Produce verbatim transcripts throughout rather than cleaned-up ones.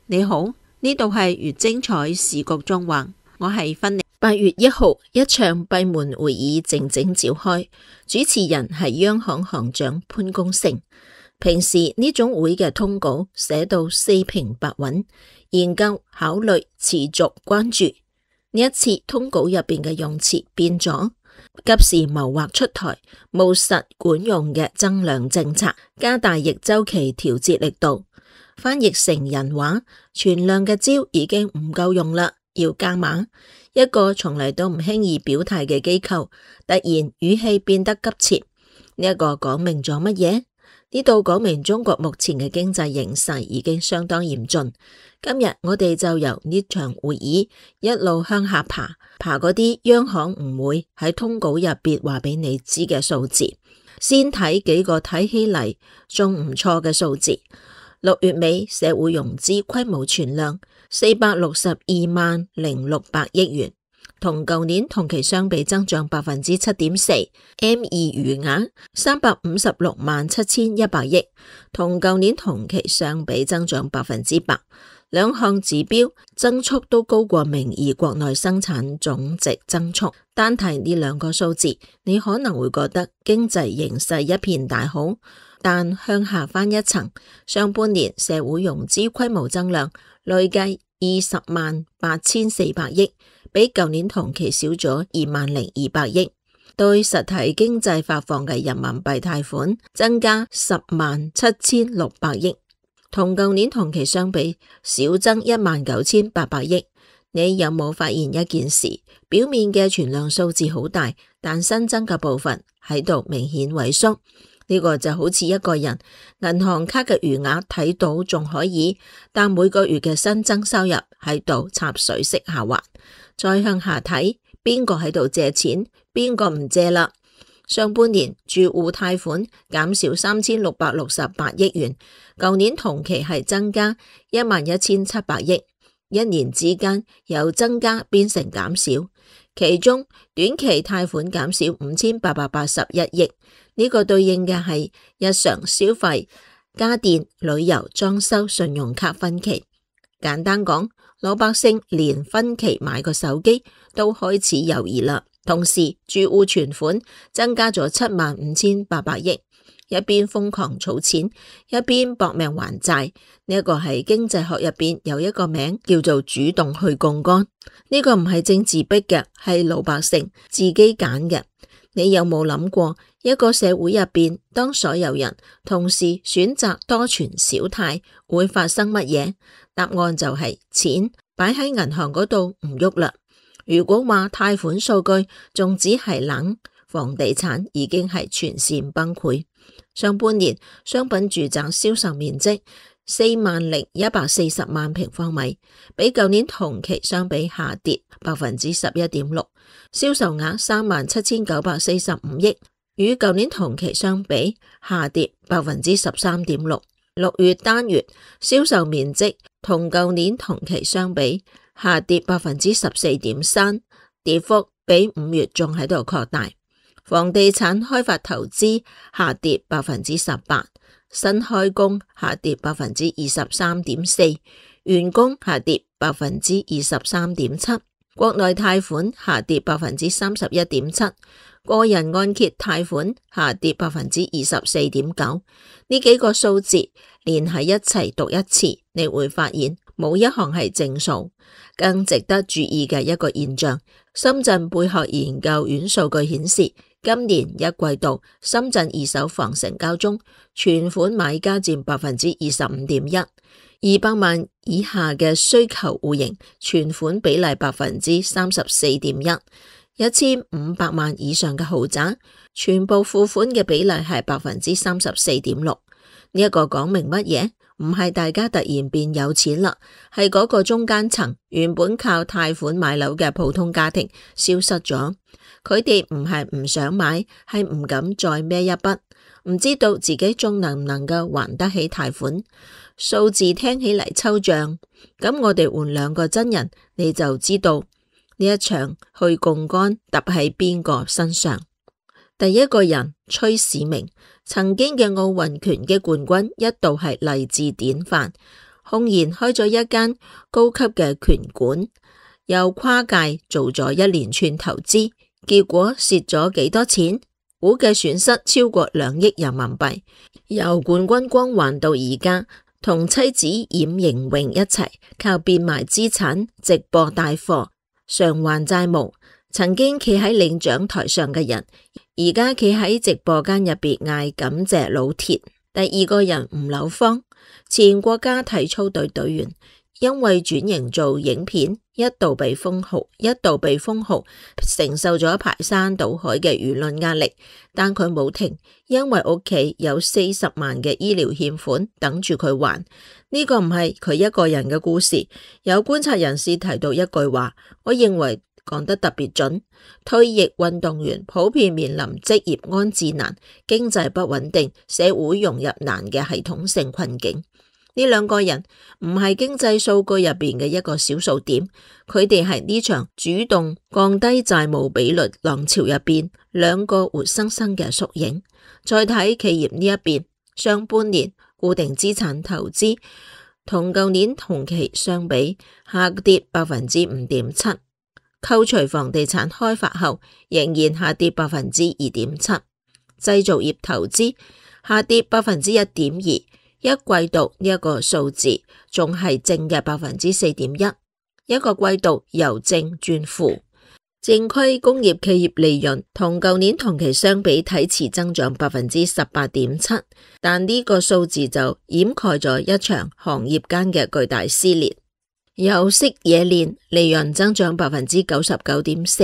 你好，呢度係越精彩時局縱橫，我係芬妮。八月一號，一場閉門會議靜靜召開，主持人係央行行長潘功勝。平時呢種會嘅通稿寫到四平八穩，研究、考慮、持續關注。呢一次通稿入邊嘅用詞變咗，急時謀劃出台務實管用嘅增量政策，加大逆周期調節力度。翻譯成人話，存量嘅招已經唔夠用啦，要加碼。一個從嚟都唔輕易表態嘅機構，突然語氣變得急切。呢一個講明咗乜嘢？呢度講明中國目前嘅經濟形勢已經相當嚴峻。今日我哋就由呢場會議一路向下爬，爬嗰啲央行唔會喺通稿入邊話俾你知嘅數字。先睇幾個睇起嚟仲唔錯嘅數字。六月尾社會融資規模存量四百六十二萬零六百億元，同舊年同期相比增長百分之七點四。M 二餘額三百五十六萬七千一百億，同舊年同期相比增長百分之八。兩項指標增速都高過名義國內生產總值增速。單睇呢兩個數字，你可能會覺得經濟形勢一片大好。但向下翻一層，上半年社會融資規模增量累計二十萬八千四百億，比舊年同期少咗二萬零二百億。對實體經濟發放嘅人民幣貸款增加十萬七千六百億，同舊年同期相比少增一萬九千八百億。你有冇發現一件事？表面嘅存量數字好大，但新增嘅部分喺度明顯萎縮。呢個就好似一個人銀行卡嘅餘額睇到仲可以，但每個月嘅新增收入喺度插水式下滑。再向下睇，邊個喺度借錢，邊個唔借啦？上半年住戶貸款減少三千六百六十八億元，舊年同期係增加一萬一千七百億，一年之間由增加變成減少。其中短期貸款減少五千八百八十一億。呢個對應嘅係日常消費、家電、旅遊、裝修、信用卡分期。簡單講，老百姓連分期買個手機都開始猶豫啦。同時，住戶存款增加咗七萬五千八百億，一邊瘋狂儲錢，一邊搏命還債。呢一個係經濟學入邊有一個名叫做主動去槓桿。呢個唔係政治逼嘅，係老百姓自己揀嘅。你有冇諗過，一個社會入邊，當所有人同時選擇多存少貸，會發生乜嘢？答案就係錢擺喺銀行嗰度唔喐啦。如果話貸款數據仲只係冷，房地產已經係全線崩潰。上半年商品住宅銷售面積四萬零一百四十萬平方米，比舊年同期相比下跌百分之十一點六，銷售額三萬七千九百四十五億，與舊年同期相比下跌百分之十三點六。六月單月銷售面積同舊年同期相比下跌百分之十四點三，跌幅比五月仲喺度擴大。房地產開發投資下跌百分之十八。新開工下跌百分之二十三點四，完工下跌百分之二十三點七，國內貸款下跌百分之三十一點七，個人按揭貸款下跌百分之二十四點九。呢幾個數字連喺一齊讀一次，你會發現冇一項係正數。更值得注意嘅一個現象，深圳貝殼研究院數據顯示，今年一季度深圳二手房成交中，存款買家佔百分之二十五點一，二百萬以下嘅需求戶型存款比例百分之三十四點一，一千五百萬以上嘅豪宅全部付款嘅比例係百分之三十四點六。呢一個講明乜嘢？唔係大家突然變有錢啦，係嗰個中間層原本靠貸款買樓嘅普通家庭消失咗。佢哋唔係唔想買，係唔敢再孭一筆，唔知道自己仲能唔能夠還得起貸款。數字聽起嚟抽象，咁我哋換兩個真人，你就知道呢一場去槓桿揼喺邊個身上。第一個人崔市明，曾經嘅奧運拳擊冠軍，一度係勵志典範。空然開咗一間高級嘅拳館，又跨界做咗一連串投資，結果蝕咗幾多錢？估計損失超過兩億人民幣。由冠軍光環到而家，同妻子冉盈榮一齊靠變賣資產、直播帶貨償還債務。曾經企喺領獎台上嘅人，而家企喺直播間入邊嗌感謝老鐵。第二個人吳柳芳，前國家體操隊隊員，因為轉型做影片，一度被封號，一度被封號，承受咗排山倒海嘅輿論壓力，但佢冇停，因為屋企有四十萬嘅醫療欠款等住佢還。呢個唔係佢一個人嘅故事。有觀察人士提到一句話，我認為講得特別準，退役運動員普遍面臨職業安置難、經濟不穩定、社會融入難嘅系統性困境。呢兩個人唔係經濟數據入邊嘅一個小數點，佢哋係呢場主動降低債務比率浪潮入邊兩個活生生嘅縮影。再睇企業呢一邊，上半年固定資產投資同舊年同期相比下跌百分之五點七。扣除房地產開發後，仍然下跌百分之二點七。製造業投資下跌百分之一點二，一季度呢一個數字仲係正嘅百分之四點一，一個季度由正轉負。正規工業企業利潤同舊年同期相比睇似增長百分之十八點七，但呢個數字就掩蓋咗一場行業間嘅巨大撕裂。有色冶煉利潤增長百分之九十九點四，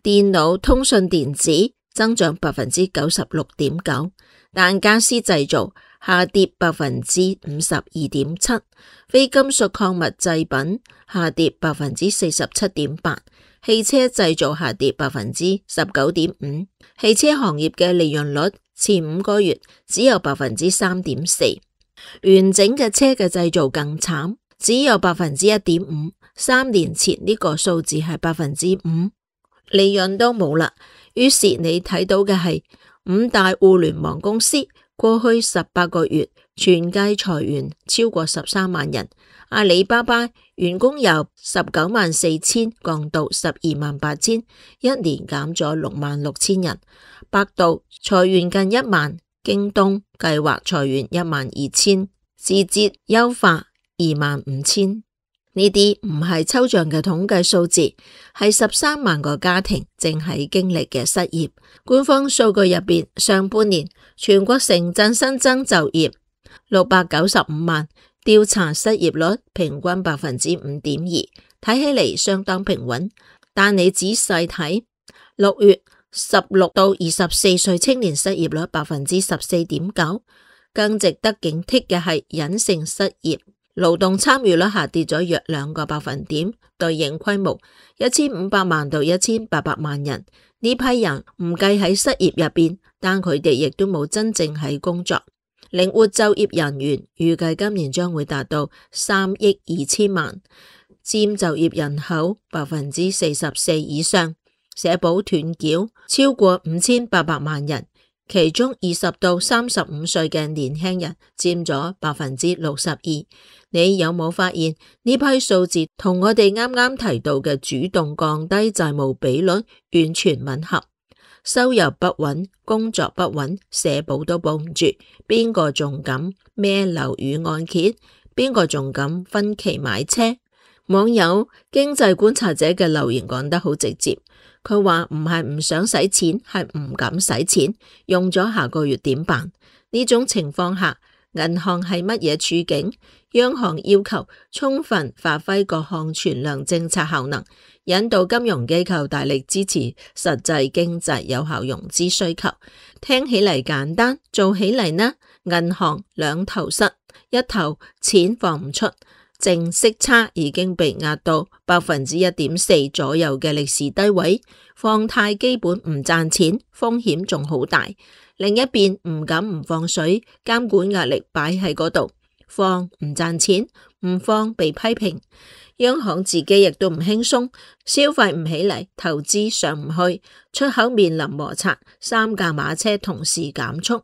電腦通訊電子增長百分之九十六點九，但家私製造下跌百分之五十二點七，非金屬礦物製品下跌百分之四十七點八，汽車製造下跌百分之十九點五，汽車行業嘅利潤率前五個月只有百分之三點四，完整嘅車嘅製造更慘。只有百分之一點五，三年前呢個數字係百分之五，利潤都冇啦。於是你睇到嘅係五大互聯網公司過去十八個月全計裁員超過十三萬人。阿里巴巴員工由十九萬四千降到十二萬八千，一年減咗六萬六千人。百度裁員近一萬，京東計劃裁員一萬二千，字節優化二萬五千，呢啲唔係抽象嘅統計數字，係十三萬個家庭正喺經歷嘅失業。官方數據入邊，上半年全國城鎮新增就業六百九十五萬，調查失業率平均百分之五點二，睇起嚟相當平穩。但你仔細睇，六月十六到二十四歲青年失業率百分之十四點九，更值得警惕嘅係隱性失業。勞動參與率下跌咗約兩個百分點，對應規模一千五百萬到一千八百萬人。呢批人唔計喺失業入邊，但佢哋亦都冇真正喺工作。靈活就業人員預計今年將會達到三億二千萬，佔就業人口百分之四十四以上。社保斷繳超過五千八百萬人，其中二十到三十五歲嘅年輕人佔咗百分之六十二。你有冇發現呢批數字同我哋啱啱提到嘅主動降低債務比率完全吻合？收入不穩，工作不穩，社保都保唔住，邊個仲敢孭樓宇按揭？邊個仲敢分期買車？網友經濟觀察者嘅留言講得好直接，佢話唔係唔想使錢，係唔敢使錢，用咗下個月點辦？呢種情況下，銀行係乜嘢處境？央行要求充分發揮各項存量政策效能，引導金融機構大力支持實際經濟有效融資需求。聽起嚟簡單，做起嚟呢？銀行兩頭塞，一頭錢放唔出，淨息差已經被壓到百分之一點四左右嘅歷史低位，放貸基本唔賺錢，風險仲好大。另一邊唔敢唔放水，監管壓力擺喺嗰度，放唔賺錢，唔放被批評。央行自己亦都唔輕鬆，消費唔起嚟，投資上唔去，出口面臨摩擦，三駕馬車同時減速。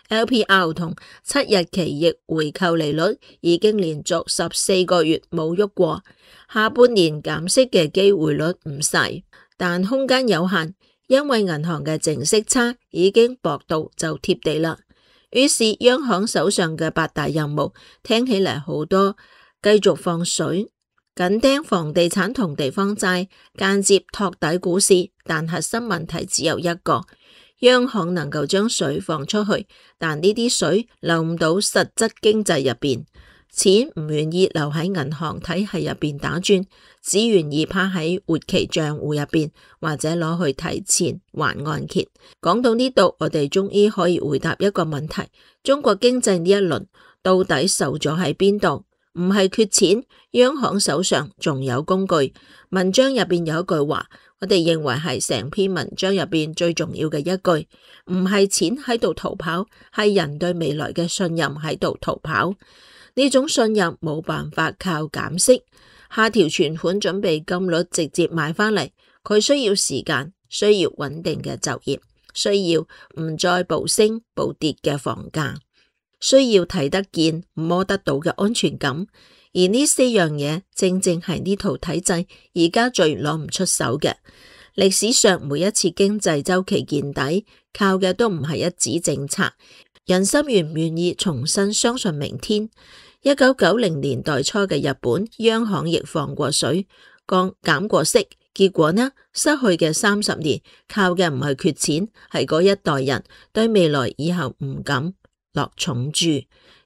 L P R 同七日期逆回購利率已經連續十四個月冇喐過，下半年減息嘅機會率唔細，但空間有限，因為銀行嘅淨息差已經薄到就貼地啦。於是央行手上嘅八大任務聽起嚟好多，繼續放水，緊盯房地產同地方債，間接托底股市，但核心問題只有一個。央行能夠將水放出去，但呢啲水流唔到實質經濟入邊，錢唔願意留喺銀行體系入邊打轉，只願意趴喺活期賬戶入邊，或者攞去提前還按揭。講到呢度，我哋終於可以回答一個問題：中國經濟呢一輪到底受咗喺邊度？唔係缺錢，央行手上仲有工具。文章入邊有一句話，我哋認為係成篇文章入邊最重要嘅一句，唔係錢喺度逃跑，係人對未來嘅信任喺度逃跑。呢種信任冇辦法靠減息、下調存款準備金率直接買返嚟，佢需要時間，需要穩定嘅就業，需要唔再暴升暴跌嘅房價，需要睇得見摸得到嘅安全感，而呢四樣嘢正正係呢套體制而家最攞唔出手嘅。歷史上每一次經濟周期見底，靠嘅都唔係一紙政策，人心願唔願意重新相信明天。一九九零年代初嘅日本央行亦放過水，降減過息，結果呢，失去嘅三十年靠嘅唔係缺錢，係嗰一代人對未來以後唔敢落重注。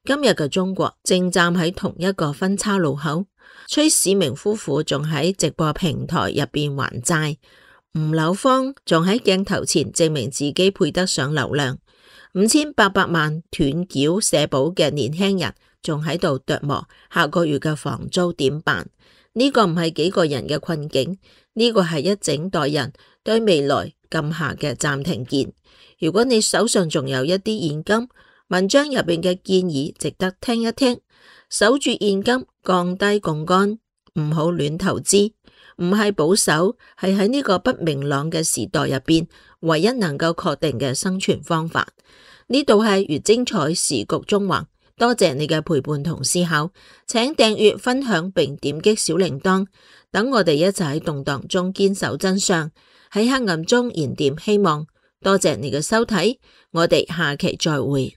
今日嘅中國正站喺同一個分叉路口，崔市明夫婦仲喺直播平台入邊還債，吳柳芳仲喺鏡頭前證明自己配得上流量，五千八百萬斷繳社保嘅年輕人仲喺度琢磨下個月嘅房租點辦。呢個唔係幾個人嘅困境，呢個係一整代人對未來撳下嘅暫停鍵。如果你手上仲有一啲現金，文章入邊嘅建議值得聽一聽。守住現金，降低槓桿，唔好亂投資，唔係保守，係喺呢個不明朗嘅時代入邊唯一能夠確定嘅生存方法。呢度係越精彩時局中橫，多謝你嘅陪伴同思考，請訂閱、分享並點擊小鈴鐺，等我哋一齊喺動盪中堅守真相，喺黑暗中燃點希望。多謝你嘅收睇，我哋下期再會。